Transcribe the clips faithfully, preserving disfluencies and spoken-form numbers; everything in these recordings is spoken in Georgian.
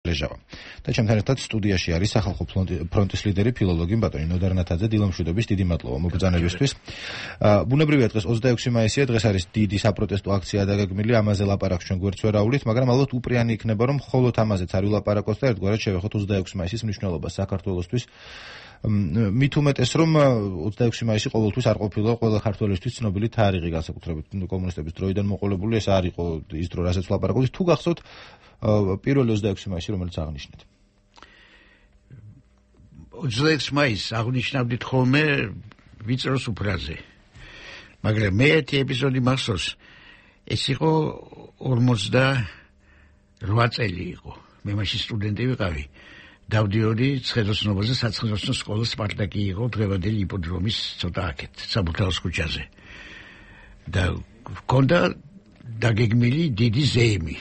ლეჟავა. და ჩემთან ერთად სტუდიაში არის სახალხო ფრონტის ლიდერი ფილოლოგი ბატონი ნოდარ ნათაძე. დილამშვიდობის, დიდი მადლობა მობრძანებისთვის. ბუნებრივია დღეს ოცდაექვსი მაისია, დღეს არის დიდი საპროტესტო აქცია დაგეგმილი, ამაზე ლაპარაკს ჩვენ გვერდს ვერ აუვლით, მაგრამ ალბათ უპრიანი იქნება, რომ მხოლოდ ამაზეც არ ვილაპარაკოს და ერთგვარად შევეხოთ ოცდაექვსი მაისის მნიშვნელობას საქართველოსთვის. მით უმეტეს რომ ოცდაექვსი მაისი ყოველთვის არ ყოფილა ყველა ქართველისთვის ცნობილი თარიღი, განსაკუთრებით კომუნისტების დროიდან მოყოლებული, ეს არ იყო ის დრო, რასაც ვლაპარაკობთ. თუ გახსოვთ პირველი ოცდაექვსი მაისი, რომელიც აღნიშნეთ? ოცდაექვსი მაისს აღნიშნავდით ხოლმე ვიწროს უფრაზე. მაგრამ მე ერთი ეპიზოდი მახსოვს, ეს იყო ორმოცდაოთხ წელი იყო. მე მაშინ სტუდენტი ვიყავი. დავდიოდი ცხენოსნობაზე, საცხენოსნო სკოლის სპარტაკი იყო დღევანდელი იპოდრომის ცოტა აქეთ, საბურთალოს ქუჩაზე. და ჰქონდა დაგეგმილი დიდი ზეიმი.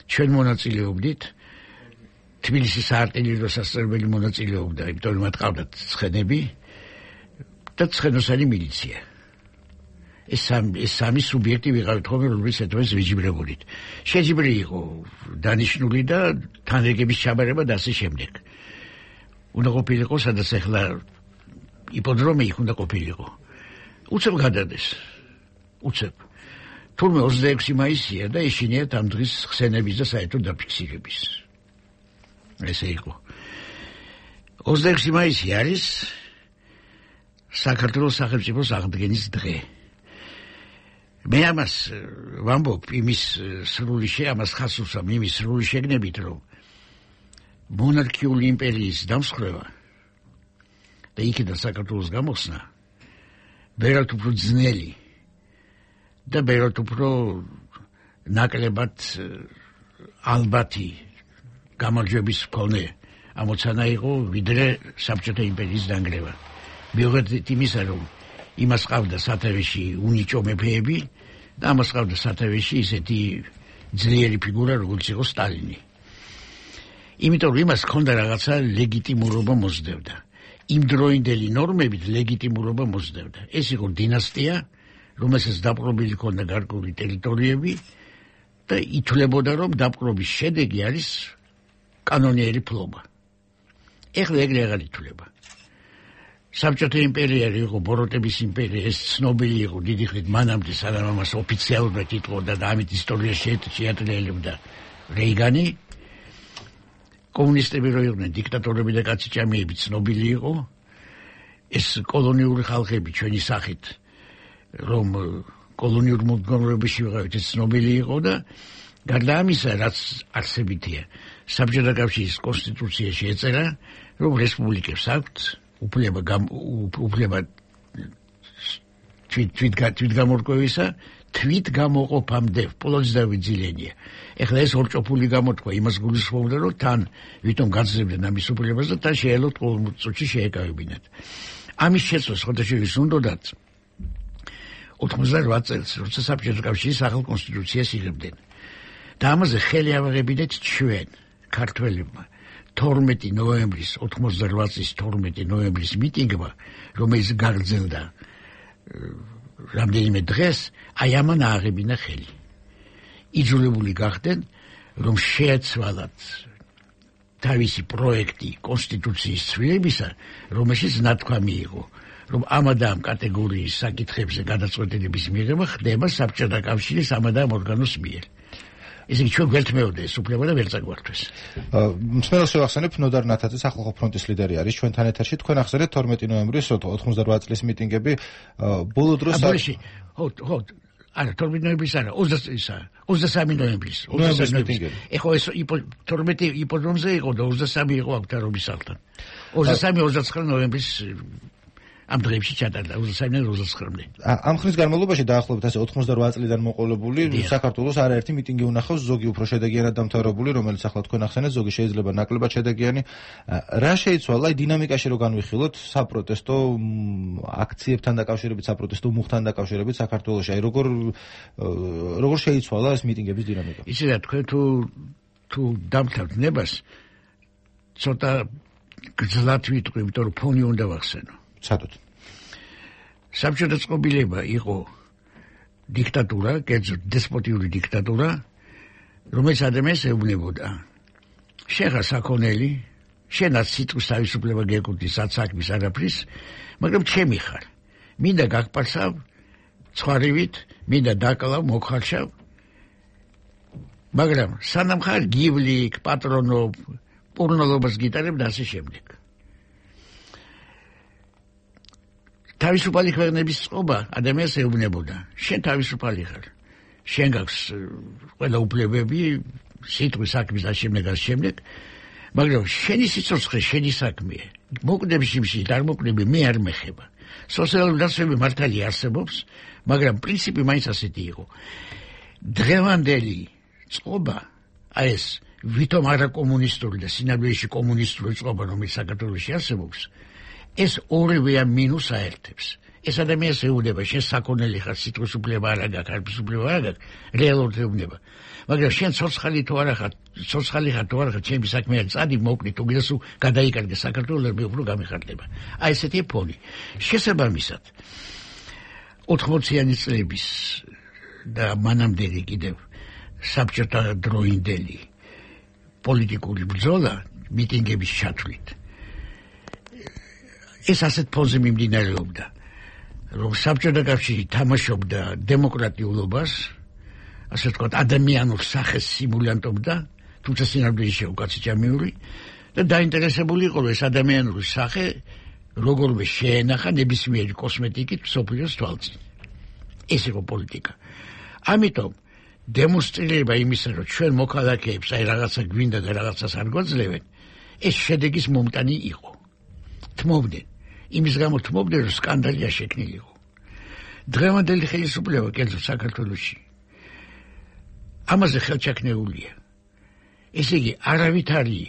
ჩვენ მონაწილეობდით, თბილისის საარტილერიო სასწავლებელი მონაწილეობდა, იმიტომ რომ მათ ყავდათ ცხენები და ცხენოსანი მილიცია. ეს სამი ეს სამი სუბიექტი ვიყავით ხოლმე, რომლის ეთვეს ვიჯიბრებოდით. შეჯიბრი იყო დანიშნული და თანრიგების ჩაბარება და ასე შემდეგ. უნდა ყოფილიყო, სადაც ახლა იპოდრომი იქ უნდა ყოფილიყო. უცებ გადადეს. უცებ. თურმე ოცდაექვსი მაისია და ეშინიათ ამ დღის ხსენების და საერთო დაფიქსირების. ესე იყო. ოცდაექვსი მაისი არის საქართველოს სახელმწიფოს აღდგენის დღე. მე ამას ვამბობ იმის სრული შე, ამას ხას უსვამ იმის სრული შეგნებით, რომ მონარქიული იმპერიის დამსხვრევა და იქიდან საქართველოს გამოხსნა ბევრად უფრო ძნელი და ბევრად უფრო ნაკლებად ალბათი გამარჯვების მქონე ამოცანა იყო, ვიდრე საბჭოთა იმპერიის დანგრევა. მიუხედავად იმისა, რომ იმას ყავდა სათავეში უნიჭო მეფეები და ამას ყავდა სათავეში ისეთი ძლიერი ფიგურა, როგორც იყო სტალინი. იმიტომ რომ იმას ჰქონდა რაღაცა ლეგიტიმურობა მოსდევდა. იმ დროინდელი ნორმებით ლეგიტიმურობა მოსდევდა. ეს იყო დინასტია, რომელსაც დაპყრობილი ჰქონდა გარკვეული ტერიტორიები და ითვლებოდა, რომ დაპყრობის შედეგი არის კანონიერი ფლობა. ეხლა ეგრე აღარ ითვლება. საბჭოთა იმპერია იყო ბოროტების იმპერია, ეს ცნობილი იყო დიდი ხნით მანამდე, სანამ ამას ოფიციალურად იტყოდა და ამით ისტორიაში შეატყელებდა რეიგანი. კომუნისტები რო იყვნენ დიქტატორები და კაციჭამიები ცნობილი იყო. ეს კოლონიური ხალხები ჩვენი სახით, რომ კოლონიურ მოდგომრებაში ვიყავით, ეს ცნობილი იყო და გარდა ამისა, რაც არსებითია, საბჭოთა კავშირის კონსტიტუციაში ეწერა, რომ რესპუბლიკებს აქვთ უფლება უფლება თვით თვით გამორკვევისა, თვით გამოყოფამდე პოლონეთს დავიძილენია. ეხლა ეს ორჭოფული გამოთქვა იმას გულისხმობდა, რომ თან ვითომ გაძლევდნენ ამის უფლებას და თან შეელოთ ყოველ წუთში შეეკავებინათ. ამის შეცვლას ხოთაშვილის უნდათ ოთხმოცდაოთხ წელს, როცა საბჭოთა კავშირის ახალ კონსტიტუციას იღებდნენ. და ამაზე ხელი ავაღებინეთ ჩვენ, ქართველებმა. თორმეტი ნოემბრის, ოთხმოცდაოთხ წლის თორმეტი ნოემბრის მიტინგმა, რომელიც გაგრძელდა რამდენიმე დღეს, აი ამან ააღებინა ხელი. იძულებული გახდნენ, რომ შეეცვალათ თავისი პროექტი კონსტიტუციის ცვლილებისა, რომელშიც ნათქვამი იყო, რომ ამ და ამ კატეგორიის საკითხებზე გადაწყვეტილების მიღება ხდება საბჭოთა კავშირის ამ და ამ ორგანოს მიერ. ესე იგი ჩვენ გვერთმეოდა ეს უფლება და ვერ წაგვართვეს. მსმენელს შევახსენებ, ნოდარ ნათაძე სახალხო ფრონტის ლიდერი არის ჩვენთან ეთერში. თქვენ ახსენეთ თორმეტი ნოემბრის ოთხმოცდაოთხ წლის მიტინგები, ბოლო დროს აბაში, ხო, ხო, არა, თორმეტი ნოემბრის არა, ოცდასამი ნოემბრის. ნოემბრის მიტინგები. ეხლა ეს თორმეტი იპოდრომზე იყო და ოცდასამი იყო აქტარობის სახლთან. ოცდასამი ოცდაცხრა ნოემბრის ამ დღეებში ჩატარდა ოცდასამიდან ოცდაცხრამდე. ამ ხნის განმავლობაში დაახლოებით ასე ოთხმოცდაოთხ წლიდან მოყოლებული საქართველოს არაერთი მიტინგი უნახავს, ზოგი უფრო შედეგიანად დამთავრებული, რომელიც ახლა თქვენ ახსენეთ, ზოგი შეიძლება ნაკლებად შედეგიანი. რა შეიცვალა, აი დინამიკაში რო განვიხილოთ საპროტესტო აქციებთან დაკავშირებით, საპროტესტო მუხთან დაკავშირებით საქართველოში, აი როგორ როგორ შეიცვალა ეს მიტინგების დინამიკა? იცი რა, თქვენ თუ თუ დამთავრდით ნებას, ცოტა გძლად ვიტყვი, იმიტომ რომ ფონი უნდა ვახსენო. სადოთ. საბჭოთა წყობილება იყო დიქტატურა, კერძოდ დესპოტიური დიქტატურა, რომელიც ადამიანს ეუბნებოდა. შენ ხარ საქონელი, შენაც სიტყვის თავისუფლება გეკუთვნის, რაც საქმის არაფრის, მაგრამ ჩემი ხარ. მინდა გაგპარსავ ცხვარივით, მინდა დაკალავ მოხარშავ. მაგრამ სანამ ხარ გივლიკ, პატრონობ, პურნოლობას გიტარებ და ასე შემდეგ. თავისუფალი ქვეყნების წყობა ადამიანს ეუბნებოდა. შენ თავისუფალი ხარ. შენ გაქვს ყველა უფლებები, სიტყვის საქმის და შემდეგ და შემდეგ, მაგრამ შენი სიცოცხლე შენი საქმეა. მოკვდები შიმში, არ მოკვდები მე არ მეხება. სოციალური დაცვები მართალი არსებობს, მაგრამ პრინციპი მაინც ასეთი იყო. დღევანდელი წყობა, აი ეს ვითომ არა კომუნისტური და სინამდვილეში კომუნისტური წყობა, რომელიც საქართველოში არსებობს, ეს ორივე მინუს აერთებს. ეს ადამიანს ეუბნება, შენ საქონელი ხარ, სიტყვის უფლება არ აქვს, არაფრის უფლება არ აქვს, რეალურად ეუბნება. მაგრამ შენ ცოცხალი თუ არა ხარ, ცოცხალი ხარ თუ არა ხარ, ჩემი საქმეა წადი მოკლი, თუ გინდა სულ გადაიკარგე საქართველოს, მე უფრო გამიხარდება. აი ესეთი ფონი. შესაბამისად, ოთხმოციანი წლების და მანამდელი კიდევ საბჭოთა დროინდელი პოლიტიკური ბრძოლა მიტინგების ჩათვლით. ეს ასეთ ფონზე მიმდინარეობდა, რომ საბჭოთა კავშირი თამაშობდა დემოკრატიულობას, ასე ვთქვათ, ადამიანურ სახეს სიმულანტობდა, თუმცა სინამდვილეში უკაცი ჭამიური და დაინტერესებული იყო, რომ ეს ადამიანური სახე როგორმე შეენახა ნებისმიერი კოსმეტიკით მსოფლიოს თვალწინ. ეს იყო პოლიტიკა. ამიტომ დემონსტრირება იმისა, რომ ჩვენ მოქალაქეებს აი რაღაცა გვინდა და რაღაცას არ გვაძლევენ, ეს შედეგის მომტანი იყო. თმობდნენ. იმის გამო თმობდნენ, რომ სკანდალია შექმნილიყო. დღევანდელი ხელისუფლება კერძოდ საქართველოში ამაზე ხელჩაქნეულია. ესე იგი, არავითარი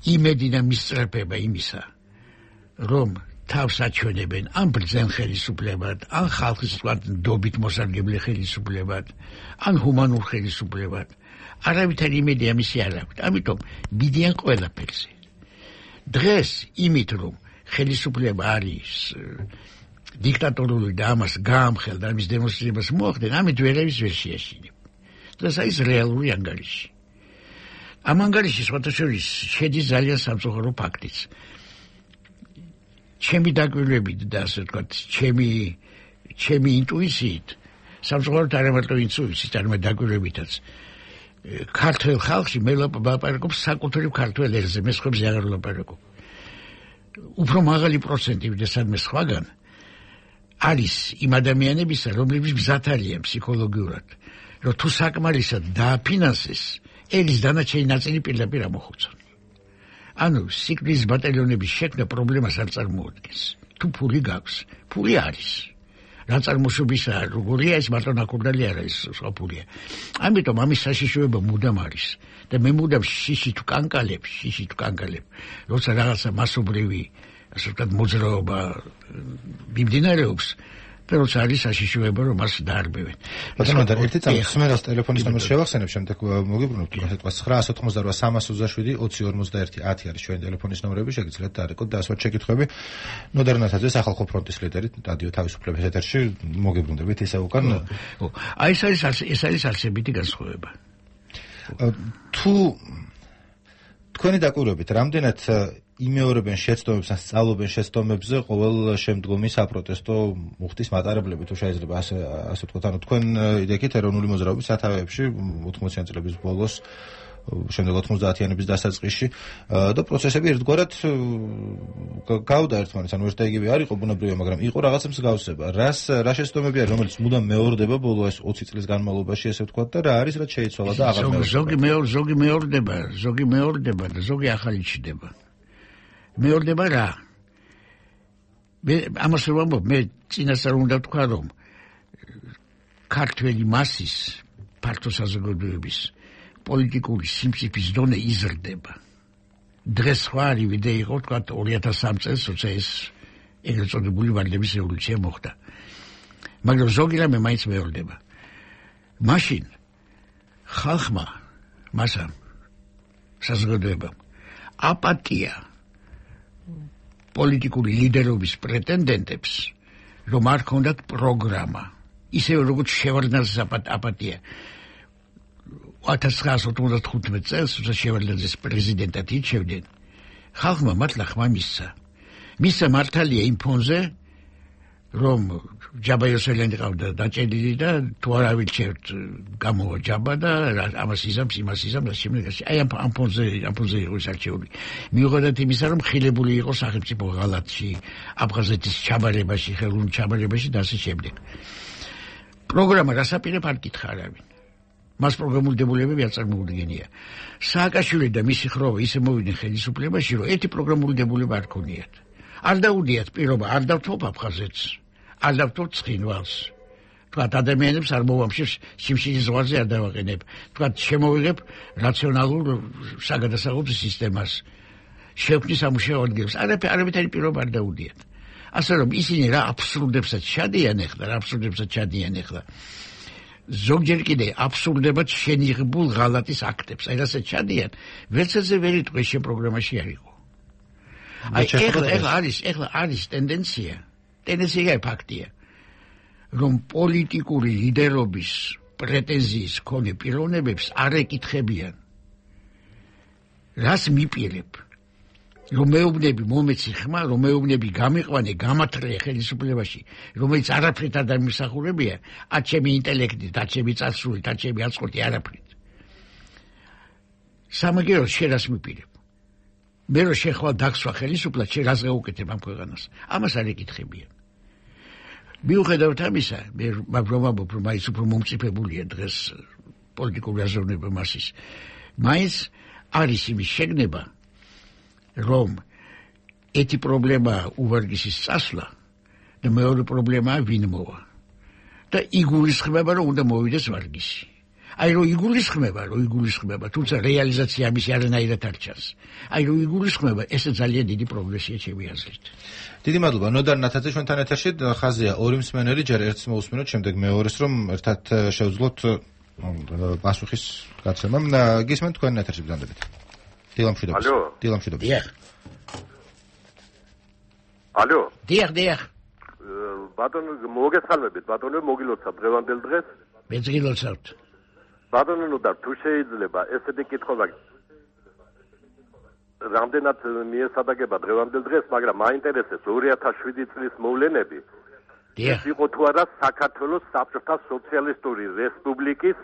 იმედი და მისწრაფება იმისა, რომ თავს აჩვენებენ ან ბრძენ ხელისუფლებად, ან ხალხის ნდობით მოსარგებლე ხელისუფლებად, ან ჰუმანურ ხელისუფლებად. არავითარი იმედი ამისი არ აქვთ. ამიტომ მიდიან ყველაფერზე. დღეს იმით, რომ ხელისუფლება არის დიქტატორული და ამას გაამხელდა, ამის დემონსტრირებას მოახდენ, ამით ვერავის ვერ შეაშინებ. დღეს არის რეალური ანგარიში. ამ ანგარიში სხვათა შორის შედის ძალიან სამწუხარო ფაქტიც. ჩემი დაკვირვებით და ასე ვთქვათ, ჩემი ჩემი ინტუიციით, სამწუხაროდ არა მარტო ინტუიციით, არამედ დაკვირვებითაც, ქართულ ხალხში მე ლაპარაკობ საკუთრივ ქართულ ერზე, მე სხვებზე აღარ ლაპარაკობ. უფრო მაღალი პროცენტი ვიდრე სადმე სხვაგან არის იმ ადამიანებისა, რომლებიც მზად არიან ფსიქოლოგიურად, რომ თუ საკმარისად დააფინანსეს, ელის დანარჩენი ნაწილი პირდაპირ ამოხუცონ. ანუ სიკვდილის ბატალიონების შექმნა პრობლემას არ წარმოადგენს. თუ ფული გაქვს, ფული არის. რა წარმოშობისაა, როგორია ეს მარტო ნაკურდალი არ არის, სხვა ფულია. ამიტომ ამის საშიშროება მუდამ არის. და მე მუდამ შიში თუ კანკალებ, შიში თუ კანკალებ, როცა რაღაცა მასობრივი, ასე ვთქვათ, მოძრაობა მიმდინარეობს, და როცა არის საშიშროება, რომ მას დაარბევენ. ბატონო, და ერთი წამი ხმერას ტელეფონის ნომერს შევახსენებ, შემდეგ მოგიბრუნოთ, ასე ვთქვათ, ცხრა ათი ოცდაოთხ სამას ოცდაშვიდი ოცი ორმოცდაერთი ათი არის ჩვენი ტელეფონის ნომრები, შეგიძლიათ დაარეკოთ და ასვათ შეკითხვები. ნოდარ ნათაძე, სახალხო ფრონტის ლიდერი, რადიო თავისუფლების ეთერში, მოგიბრუნდებით ისე უკან. აი ეს არის ეს არის არსებითი განსხვავება. თუ თქვენი დაკვირვებით, რამდენად იმეორებენ შეცდომებს ან სწავლობენ შეცდომებზე ყოველ შემდგომი საპროტესტო მუხტის მატარებლები, თუ შეიძლება ასე ასე ვთქვათ, ანუ თქვენ იდექით ეროვნული მოძრაობის სათავეებში ოთხმოციანი წლების ბოლოს, შემდეგ ოთხმოცდაათიანების დასაწყისში და პროცესები ერთგვარად გავდა ერთმანეთს, ანუ ერთ და იგივე არ იყო ბუნებრივია, მაგრამ იყო რაღაცა მსგავსება. რას რა შეცდომები არის, რომელიც მუდამ მეორდება ბოლო ეს ოცი წლის განმავლობაში, ესე ვთქვათ, და რა არის, რაც შეიცვალა და აღარ მეორდება. ზოგი მეორე, ზოგი მეორდება, ზოგი მეორდება და ზოგი ახალი ჩდება. მეორდება რა? მე ამას ვამბობ, მე წინასწარ უნდა ვთქვა, რომ ქართველი მასის ფართო საზოგადოების პოლიტიკური სიმწიფის დონე იზრდება. დღეს სხვა არის ვიდე იყო, ვთქვათ, ორი ათას სამი წელს, როცა ეს ეგრეთ წოდებული ვარდების რევოლუცია მოხდა. მაგრამ ზოგი რამე მაინც მეორდება. მაშინ ხალხმა, მასამ, საზოგადოებამ აპატია პოლიტიკური ლიდერობის პრეტენდენტებს, რომ არ ქონდათ პროგრამა. ისევე როგორც შევარდნას აპატია. ათას ცხრაასი ოთხმოცდახუთმეტ წელს როცა შევალდაძეს პრეზიდენტად ირჩევდნენ, ხალხმა მართლა ხმა მისცა. მისცა მართალია იმ ფონზე, რომ ჯაბა იოსელიანი ყავდა დაჭედილი და თუ არ ავირჩევთ გამოვა ჯაბა და ამას იზამს, იმას იზამს, შემდეგში. აი ამ ფონზე, ამ ფონზე იყო არჩეული. მიუხედავად იმისა, რომ ხილებული იყო სახელმწიფო ღალატში, აფხაზეთის ჩაბარებაში, ხელოვნურ ჩაბარებაში და ასე შემდეგ. პროგრამა რასაპირებ არ გითხრა არავინ. მას პროგრამული დებულებები არ წარმოუდგენია. სააკაშვილი და მისი ხროვა ისე მოვიდნენ ხელისუფლებაში, რომ ერთი პროგრამული დებულება არ ქონიათ. არ დაუდიათ პირობა, არ დავთვალ აფხაზეთს, არ დავთვალ ცხინვალს. თქვათ ადამიანებს არ მოვამშებ სიმშილის ზღვარზე არ დავაყენებ. თქვათ შემოვიღებ რაციონალურ საგადასაღებო სისტემას. შევქმნი სამუშაო ადგილს. არაფერი პირობა არ დაუდიათ. ასე რომ ისინი რა აბსურდებსაც ჩადიან ახლა, რა აბსურდებსაც ჩადიან ახლა. ზოგჯერ კიდე აბსურდებად შენიღებულ ღალატის აქტებს. აი რასაც ჩადიან, ვერცეზე ვერ იტყვეს შენ პროგრამაში არ იყო. აი ეხლა ეხლა არის ეხლა არის ტენდენცია, ტენდენცია ფაქტია, რომ პოლიტიკური ლიდერობის პრეტენზიის მქონე პიროვნებებს არ ეკითხებიან. რას მიპირებ? რომ მეუბნები მომეცი ხმა, რომ მეუბნები გამიყვანე, გამათრე ხელისუფლებაში, რომელიც არაფრით არ დამისახურებია, ათ ჩემი ინტელექტით, ათ ჩემი წარსულით, ათ ჩემი აწყვეტი არაფრით. სამაგიეროდ შენ რას მიპირებ? მე რო შეხვალ დაგსვა ხელისუფლად, შენ რას გაუკეთებ ამ ქვეყანას? ამას არ ეკითხებიან. მიუხედავად ამისა, მე ვამბობ, რომ მაინც უფრო მომწიფებულია დღეს პოლიტიკური აზროვნება მასის. მაინც არის იმის შეგნება, რომ ერთი პრობლემაა უვარგისის წასვლა და მეორე პრობლემაა ვინ მოვა. და იგულისხმება, რომ უნდა მოვიდეს ვარგისი. აი რომ იგულისხმება, რომ იგულისხმება, თუმცა რეალიზაცია ამისი არანაირად არ ჩანს. აი რომ იგულისხმება, ესე ძალიან დიდი პროგრესია ჩემი აზრით. დიდი მადლობა. ნოდარ ნათაძე ჩვენთან ეთერში ხაზია ორი მსმენელი, ჯერ ერთს მოусმინოთ, შემდეგ მეორეს, რომ ერთად შევძლოთ პასუხის გაცემა. გისმენთ თქვენ ეთერში ბრძანდებით. დილამშვიდობის. დილამშვიდობის. დიახ. ალო. დიახ, დიახ. ბატონო, მოგესალმებით, ბატონო, მოგილოცავ დღევანდელ დღეს. მეც გილოცავთ. ბატონო, ნოდარ, თუ შეიძლება ესეთი კითხვა რამდენად მიესადაგება დღევანდელ დღეს, მაგრამ მაინტერესებს ორი ათას შვიდი წლის მოვლენები. დიახ. იყო თუ არა საქართველოს საბჭოთა სოციალისტური რესპუბლიკის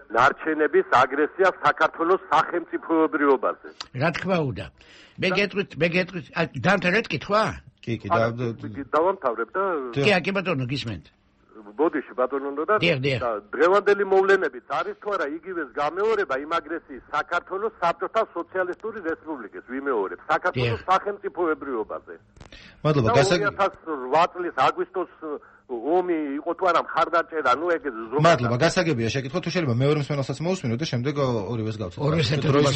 ნარჩენების აგრესია საქართველოს სახელმწიფოებრიობაზე. რა თქმა უნდა. მე გეტყვით, მე გეტყვით, დამთავრეთ კითხვა? კი, კი, დავამთავრებ და კი, კი ბატონო, გისმენთ. ბოდიში ბატონო და დღევანდელი მოვლენებიც არის თუ არა იგივეს გამეორება იმ აგრესიის საქართველოს საბჭოთა სოციალისტური რესპუბლიკის ვიმეორებ საქართველოს სახელმწიფოებრიობაზე. მადლობა, გასაგებია. ორი ათას ოთხ წლის აგვისტოს ომი იყო თუ არა მხარდაჭერა, ნუ ეგ ზოგადად. მადლობა, გასაგებია შეკითხვა, თუ შეიძლება მეორე მსმენელსაც მოусმინოთ და შემდეგ ორივეს გავცეთ. ორივეს ერთდროულად.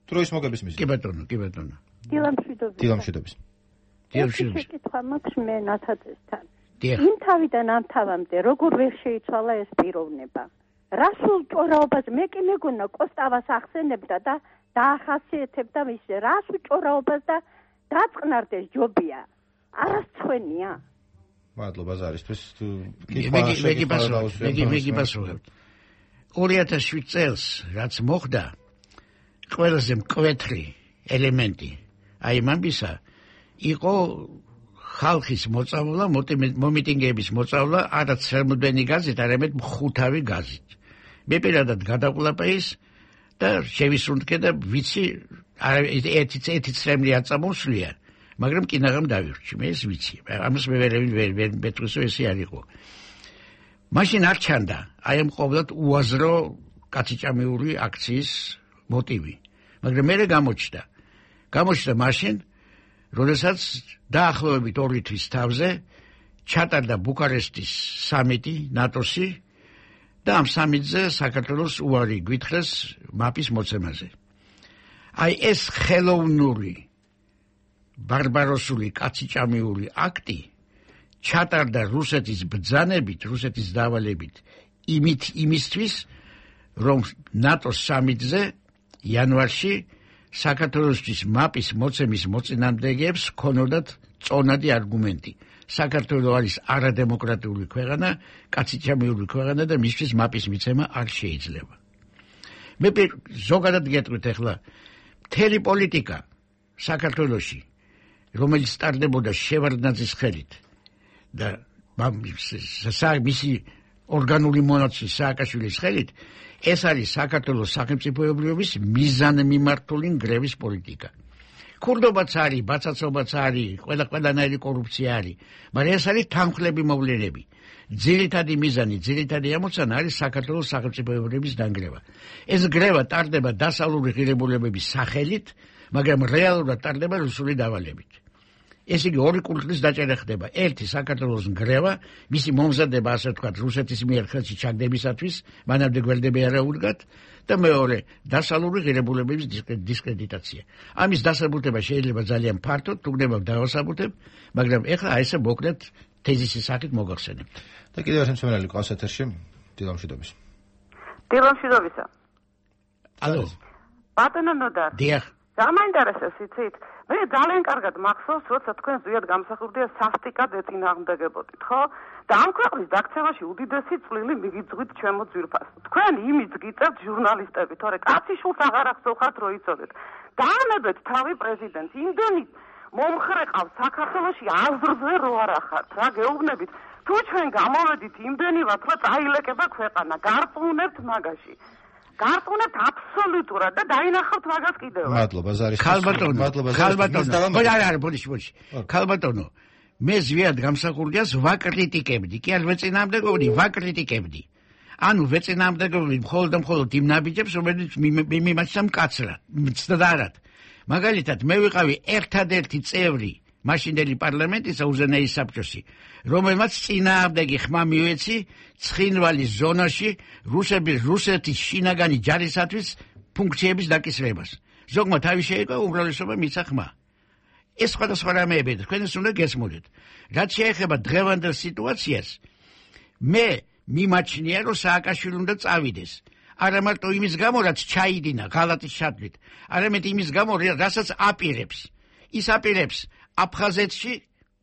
დროის მოგების მიზეზი. კი ბატონო, კი ბატონო. დილამშვიდობის. დილამშვიდობის. დილამშვიდობის. შეკითხვა მაქვს მე ნათაძესთან. დიახ. იმ თავიდან ამ თავამდე როგორ ვერ შეიცვალა ეს პიროვნება? რასულ ჭორაობას მე კი მეგონა კოსტავას ახსენებდა და დაახასიათებდა ის რას ჭორაობას და დაწყნარდეს ჯობია. არასცხვენია. მადლობა ზარისთვის. მე კი პასუხობ. ორი ათას შვიდ წელს რაც მოხდა, ყველაზე მკვეთრი ელემენტი აი ამბისა იყო ხალხის მოწავლა, მომიტინგეების მოწავლა არა ცერმუდენი გაზით, არამედ მხუთავი გაზით. მე პირადად გადაყვლაპე ის და შევისუნთქე და ვიცი ერთი ერთი ცრემლი არ წამოსვლია, მაგრამ კინაღამ დავირჩი, მე ეს ვიცი. ამას მე ვერ ვერ მეტყვისო ესე არ იყო. მაშინ არ ჩანდა აი ამ ყოვლად უაზრო კაციჭამეული აქციის მოტივი. მაგრამ მე გამოჩნდა. გამოჩნდა მაშინ როდესაც დაახლოებით ორი თვის თავზე ჩატარდა ბუქარესტის სამიტი ნატოსი და ამ სამიტზე საქართველოს უარი გვითხრეს მაპის მოცემაზე. აი ეს ხელოვნური ბარბაროსული კაციჭამიური აქტი ჩატარდა რუსეთის ბრძანებით, რუსეთის დავალებით იმით იმისთვის, რომ ნატოს სამიტზე იანვარში საქართველოსთვის მაპის მოცემის მოწინააღმდეგეებს ქონოდათ წონადი არგუმენტი. საქართველო არის არადემოკრატიული ქვეყანა, კაციჭამიური ქვეყანა და მისთვის მაპის მიცემა არ შეიძლება. მე ზოგადად გეტყვით ახლა მთელი პოლიტიკა საქართველოში რომელიც სტარდებოდა შევარდნაძის ხელით და მისი ორგანული მონაცვლი სააკაშვილის ხელით ეს არის საქართველოს სახელმწიფოებრიობის მიზანმიმართული ნგრევის პოლიტიკა. ქურდობაც არის, ბაცაცობაც არის, ყველა ყველანაირი კორუფცია არის, მაგრამ ეს არის თანმხლები მოვლენები. ძირითადი მიზანი, ძირითადი ამოცანა არის საქართველოს სახელმწიფოებრიობის დანგრევა. ეს ნგრევა ტარდება დასავლური ღირებულებების სახელით, მაგრამ რეალურად ტარდება რუსული დავალებით. ეს იგი ორი კულტურის დაჭერა ხდება. ერთი საქართველოს ნგრევა, მისი მომზადება ასე ვთქვათ რუსეთის მიერ ხელში ჩაგდებისათვის, მანამდე გვერდები არა უდგათ და მეორე დასავლური ღირებულებების დისკრედიტაცია. ამის დასაბუთება შეიძლება ძალიან ფართოდ, თუნდაც დავასაბუთებ, მაგრამ ეხლა აი ესე მოკლედ თეზისის სახით მოგახსენებთ. და კიდევ ერთი მსმენელი ყავს ეთერში, დილამშვიდობის. დილამშვიდობისა. ალო. ბატონო ნოდარ. დიახ. გამაინტერესებს იცით? მე ძალიან კარგად მახსოვს, როცა თქვენ ზუსტად გამსახურდია სასტიკად ეწინააღმდეგებოდით, ხო? და ამ ქვეყნის დაქცევაში უდიდესი წვლილი მიგიძღვით ჩემო ძვირფას. თქვენ იმით გიწევთ ჟურნალისტები, თორე კაციშულს აღარ ახსოვხართ, რო იცოდეთ. დაანებეთ თავი პრეზიდენტს, იმდენი მომხრე ყავს საქართველოში აზრზე რო არ ახართ, რა გეუბნებით? თუ ჩვენ გამოვედით იმდენივად, რომ წაილეკება ქვეყანა, გარწმუნებთ მაგაში. გარწმუნებთ აბსოლუტურად და დაინახავთ მაგას კიდევ. მადლობა ზარის. ხალბატონო, მადლობა ხალბატონო. ой, არა, არა, ბოდიში, ბოდიში. ხალბატონო, მე ზვიად გამსახურდიას ვაკრიტიკებდი, კი არ ვეწინააღმდეგობდი, ვაკრიტიკებდი. ანუ ვეწინააღმდეგობდი მხოლოდ და მხოლოდ იმ ნაბიჯებს, რომელიც მიმაჩნდა მკაცრად, მცდარად. მაგალითად, მე ვიყავი ერთადერთი წევრი მაშინდელი პარლამენტისა უზენაის საბჭოსი, რომელმაც წინააღმდეგი ხმა მიეცი ცხინვალის ზონაში რუსების რუსეთის შინაგანი ჯარისათვის ფუნქციების დაკისრებას. ზოგმა თავი შეიკვა, უმრავლესობა მიცა ხმა. ეს სხვადასხვა რამეებია, თქვენ ეს უნდა გესმოდეთ. რაც შეეხება დღევანდელ სიტუაციას, მე მიმაჩნია, რომ სააკაშვილი უნდა წავიდეს. არა მარტო იმის გამო, რაც ჩაიდინა ღალატის ჩათვლით, არამედ იმის გამო, რასაც აპირებს. ის აპირებს აფხაზეთში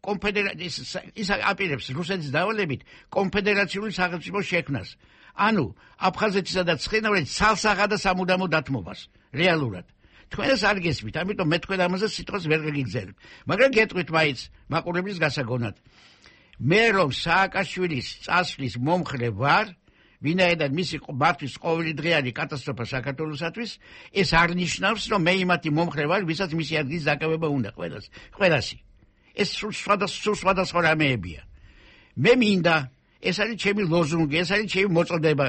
კონფედერაციის ის აპირებს რუსეთის დავალებით კონფედერაციული სახელმწიფოს შექმნას. ანუ აფხაზეთისა და ცხინვალის ცალსაღა და სამუდამო დათმობას რეალურად. თქვენ ეს არ გესმით, ამიტომ მე თქვენ ამაზე სიტყვას ვერ გიგრძელებ. მაგრამ გეტყვით მაინც მაყურებლის გასაგონად. მე რომ სააკაშვილის წასვლის მომხრე ვარ, ვინაიდან მისი მართვის ყოველი დღე არის კატასტროფა საქართველოსათვის, ეს არ ნიშნავს, რომ მე იმათი მომხრე ვარ, ვისაც მისი ადგილის დაკავება უნდა ყველას, ყველასი. ეს სულ სხვადასხვა რამეებია. მე მინდა, ეს არის ჩემი ლოზუნგი, ეს არის ჩემი მოწოდება.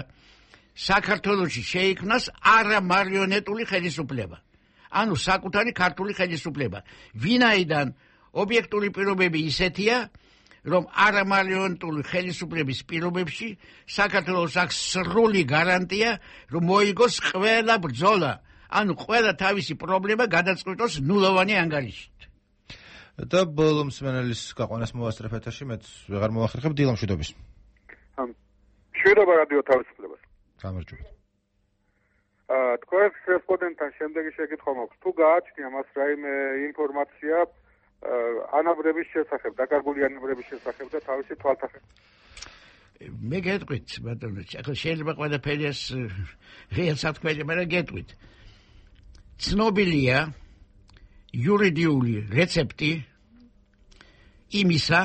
საქართველოში შეიქმნას არა მარიონეტული ხელისუფლება. ანუ საკუთარი ქართული ხელისუფლება. ვინაიდან ობიექტური პირობები ისეთია, რომ არა მარიონეტული ხელისუფლების პირობებში საქართველოს აქვს სრული გარანტია, რომ მოიგოს ყველა ბრძოლა, ანუ ყველა თავისი პრობლემა გადაწყვიტოს ნულოვანი ანგარიშით. და ბოლო მსმენელის გაყვანას მოვასწრებ ეთერში, მეც ვეღარ მოვახერხებ დილამშვიდობის. მშვიდობა რადიო თავისუფლებას. გამარჯობა. აა თქვენს რესპონდენტთან შემდეგი შეკითხვა მაქვს. თუ გააჩნია მას რაიმე ინფორმაცია ანაბრების შესახებ, დაკარგული ანაბრების შესახებ და თავისი თვალსაჩინო. მე გეტყვით, ბატონო, ახლა შეიძლება ყველაფერი ეს რეალს თქვენ, მაგრამ გეტყვით. ცნობილია იურიდიული რეცეპტი იმისა,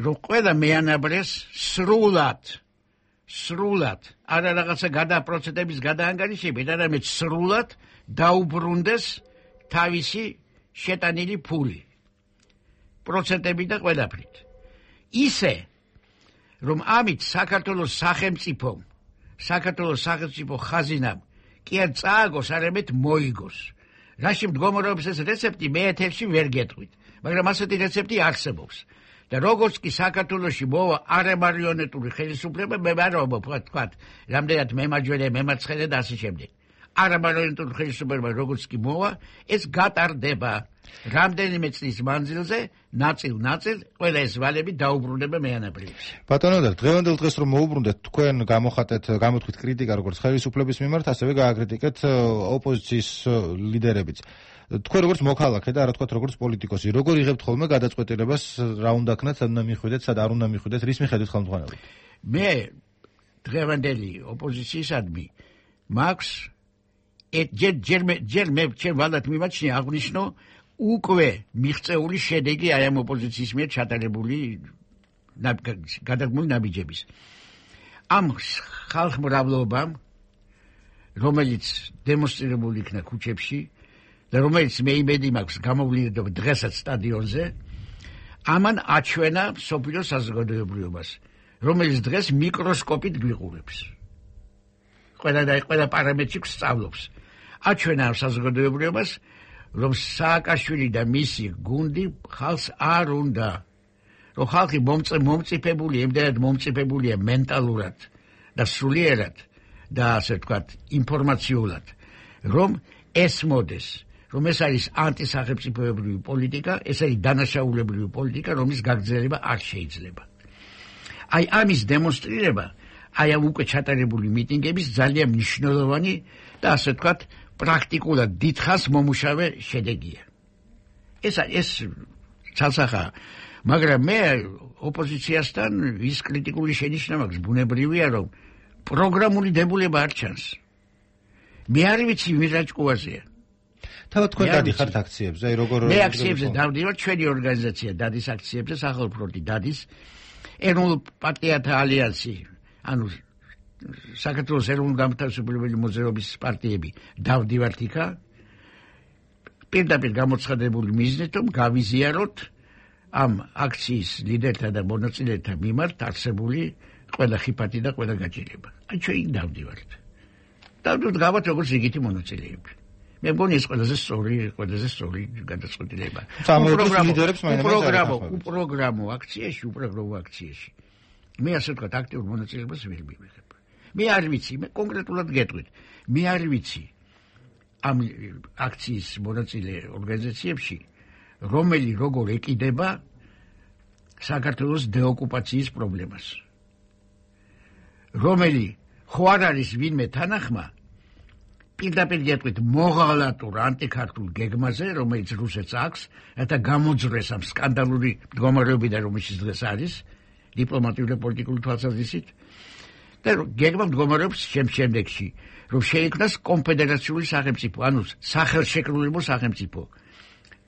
რომ ყველა მეანაბრეს სრულად, სრულად, არა რაღაცა გადაპროცედების გადაანგარიშებით, არამედ სრულად დაუბრუნდეს თავისი შეტანილი ფული, პროცენტები და ყველაფრით. ისე, რომ ამით საქართველოს სახელმწიფომ, საქართველოს სახელმწიფო ხაზინამ კი არ წააგოს, არამედ მოიგოს. რაში მდგომარეობს ეს რეცეპტი, მე ეთერში ვერ გეტყვით, მაგრამ ასეთი რეცეპტი არსებობს. და როგორც კი საქართველოში მოვა არამარიონეტული ხელისუფლება, მე არ ვთქვათ, რამდენად მემარჯვენე, მემარცხენე და ასე შემდეგ. არამარიონეტული ხელისუფლება როგორც კი მოვა, ეს გატარდება. რამდენიმე წლის მანძილზე, ნაწილ-ნაწილ, ყველა ეს ვალები დაუბრუნდება მეანაბრებს. ბატონო, დღევანდელ დღეს რომ მოუბრუნდეთ, თქვენ გამოხატეთ, გამოთქვით კრიტიკა როგორც ხელისუფლების მიმართ, ასევე გააკრიტიკეთ ოპოზიციის ლიდერებიც. თქვენ როგორც მოქალაქე და არა თქვათ როგორც პოლიტიკოსი, როგორ იღებთ ხოლმე გადაწყვეტილებას, რა უნდა ქნათ, სად უნდა მიხვიდეთ, სად არ უნდა მიხვიდეთ, რის მიხედვით ხელმძღვანელობთ? მე დღევანდელი ოპოზიციისადმი მაქვს ჯერ ჯერ ჯერ მე ჩემ ვალდათ მიმაჩნია აღნიშნო უკვე მიღწეული შედეგი აი ამ ოპოზიციის მიერ ჩატარებული გადაგმული ნაბიჯების. ამ ხალხმრავლობამ, რომელიც დემონსტრირებული იქნა ქუჩებში და რომელიც მე იმედი მაქვს გამოვლინდება დღესაც სტადიონზე, ამან აჩვენა მსოფლიო საზოგადოებრივობას, რომელიც დღეს მიკროსკოპით გვიყურებს. ყველა და ყველა პარამეტრში სწავლობს. აჩვენა ამ საზოგადოებრივობას, რომ სააკაშვილი და მისი გუნდი ხალხს არ უნდა. რომ ხალხი მომწიფებული, იმდენად მომწიფებულია მენტალურად და სულიერად და ასე ვთქვათ, ინფორმაციულად, რომ ესმოდეს, რომ ეს არის ანტისახელმწიფოებრივი პოლიტიკა, ეს არის დანაშაულებრივი პოლიტიკა, რომლის გაგრძელება არ შეიძლება. აი ამის დემონსტრირება, აი ამ უკვე ჩატარებული მიტინგების ძალიან მნიშვნელოვანი და ასე ვთქვათ, პრაქტიკულად დიდხანს მომუშავე შედეგია. ეს ეს ცალსახაა. მაგრამ მე ოპოზიციასთან ის კრიტიკული შენიშვნა მაქვს, ბუნებრივია, რომ პროგრამული დებულება არ ჩანს. მე არ ვიცი ვინ რა ჭკუაზეა. თავად თქვენ დადიხართ აქციებზე, აი როგორ მე აქციებზე დავდივარ, ჩვენი ორგანიზაცია დადის აქციებზე, სახალხო ფრონტი დადის, ეროვნულ პარტიათა ალიანსი, ანუ საქართველოს ეროვნულ-განმათავისუფლებელი მოძრაობის პარტიები დავდივართ იქა. პირდაპირ გამოცხადებული მიზნით, რომ გავიზიაროთ ამ აქციის ლიდერთა და მონაწილეთა მიმართ არსებული ყველა ხიფათი და ყველა გაჭირება. აი ჩვენ დავდივართ. დავდივართ გავართ როგორც იგივე მონაწილეები. მე მგონი ეს ყველაზე სწორი, ყველაზე სწორი გადაწყვეტილება. უპროგრამო, უპროგრამო აქციაში, უპროგრამო აქციაში. მე ასე ვთქვათ, აქტიურ მონაწილეობას ვერ მივიღებ. მე არ ვიცი, მე კონკრეტულად გეტყვით. მე არ ვიცი ამ აქციის მონაწილე ორგანიზაციებში რომელი როგორ ეკიდება საქართველოს დეოკუპაციის პრობლემას. რომელი ხო არ არის ვინმე თანახმა პირდაპირ გეტყვით მოღალატურ ანტიქართულ გეგმაზე, რომელიც რუსეთს აქვს, რათა გამოძრეს ამ სკანდალური მდგომარეობიდან, რომელშიც დღეს არის, დიპლომატიური და პოლიტიკური თვალსაზრისით. და გეგმა მდგომარეობს შემდეგში, რომ შეიქმნას კონფედერაციული სახელმწიფო, ანუ სახელშეკრულებო სახელმწიფო.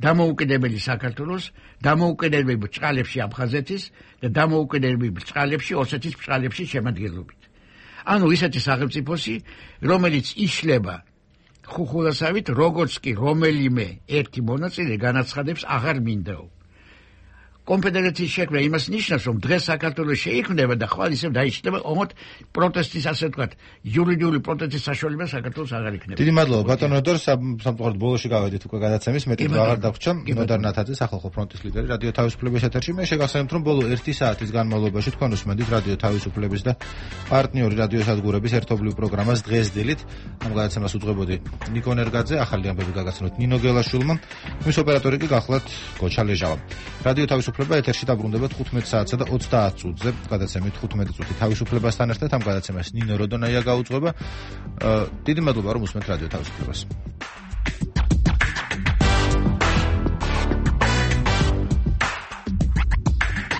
დამოუკიდებელი საქართველოს, დამოუკიდებელი ბრჭყალებში აფხაზეთის და დამოუკიდებელი ბრჭყალებში ოსეთის ბრჭყალებში შემადგენლობით. ანუ ისეთი სახელმწიფოსი, რომელიც იშლება ხუხულასავით, როგორც კი რომელიმე ერთი მონაწილე განაცხადებს აღარ მინდაო. კონფედერაციის შექმნა იმას ნიშნავს, რომ დღეს საქართველოს შეიქმნება და ხვალ ისევ დაიჭდება, ოღონდ პროტესტის, ასე ვთქვათ, იურიდიული პროტესტის საშუალება საქართველოს აღარ იქნება. დიდი მადლობა ბატონო დორ, სამწუხაროდ ბოლოში გავედით უკვე გადაცემის, მეტი აღარ დაგვჭამ. ნოდარ ნათაძე, სახალხო ფრონტის ლიდერი, რადიო თავისუფლების ეთერში. მე შეგახსენებთ, რომ ბოლო ერთი საათის განმავლობაში თქვენ უსმენთ რადიო თავისუფლების და პარტნიორი რადიო სადგურების ერთობლივ პროგრამას დღეს დილით. ამ გადაცემას უძღვებოდი ნიკო ნერგაძე, ახალი ამბები გაგაცნოთ ნინო გელაშვილმა, მის ოპერატორი კი გახლავთ გოჩა ლეჟავა. რადიო თავისუფლება ეთერში დაბრუნდება თხუთმეტ საათსა და ოცდაათ წუთზე. გადაცემით თხუთმეტი წუთი თავისუფლებასთან ერთად ამ გადაცემას ნინო როდონაია გაუძღვება. დიდი მადლობა რომ უსმენთ რადიო თავისუფლებას.